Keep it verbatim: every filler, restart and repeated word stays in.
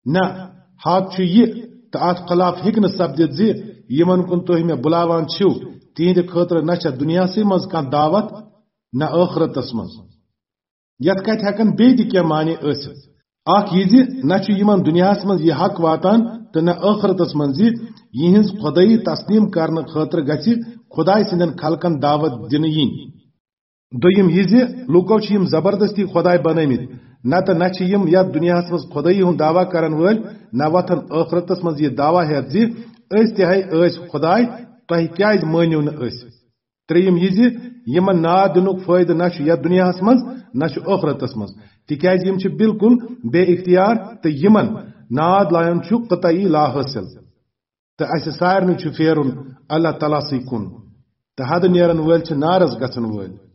نہ، حق چھُ یہِ، تہٕ اتھ خلاف ہیٚکہِ نہٕ سپدِتھ زِ یِمن کُن تُہۍ مےٚ بُلاوان چھِو، تِہنٛدِ خٲطرٕ نہ چھےٚ دُنیاہسٕے منٛز کانٛہہ دعوت، نہ ٲخرتس منٛز۔ یتھ کتھِ ہیٚکن بیٚیہِ تہِ کینٛہہ معنی ٲسِتھ۔ اکھ یہِ زِ نہ چھُ یِمن دُنیاہس منٛز یہِ حق واتان تہٕ نہ ٲخرتس منٛز زِ یِہنٛز خۄدٲیی تسلیم کرنہٕ خٲطرٕ گژھِ خۄداے سٕنٛدٮ۪ن خلقن دعوت دِنہٕ یِنۍ۔ دوٚیِم یہِ زِ لوٗکو چھِ یِم زبردستی خۄداے بنٲومٕتۍ، نتہٕ نہ چھِ یِم یتھ دُنیاہس منٛز خۄدٲیی ہُنٛد دعویٰ کرن وٲلۍ، نہ وۄتھن ٲخرتس منٛز یہِ دعویٰ ہٮ۪تھ زِ أسۍ تہِ ہے ٲسۍ خۄداے، تۄہہِ کیازِ مٲنِو نہٕ أسۍ؟ ترٛیٚیِم یہِ زِ یِمن ناد دِنُک فٲیدٕ نہ چھُ یتھ دُنیاہس منٛز، نہ چھُ ٲخرتس منٛز، تِکیازِ یِم چھِ بالکل بے اختیار تہٕ یِمن ناد لایُن چھُ قطعی لا حٲصِل۔ تہٕ اسہِ سارنٕے چھُ پھیرُن اللہ تعالیٰ سٕے کُن، تہٕ حدٕ نیرن وٲلۍ چھِ نارس گژھن وٲلۍ۔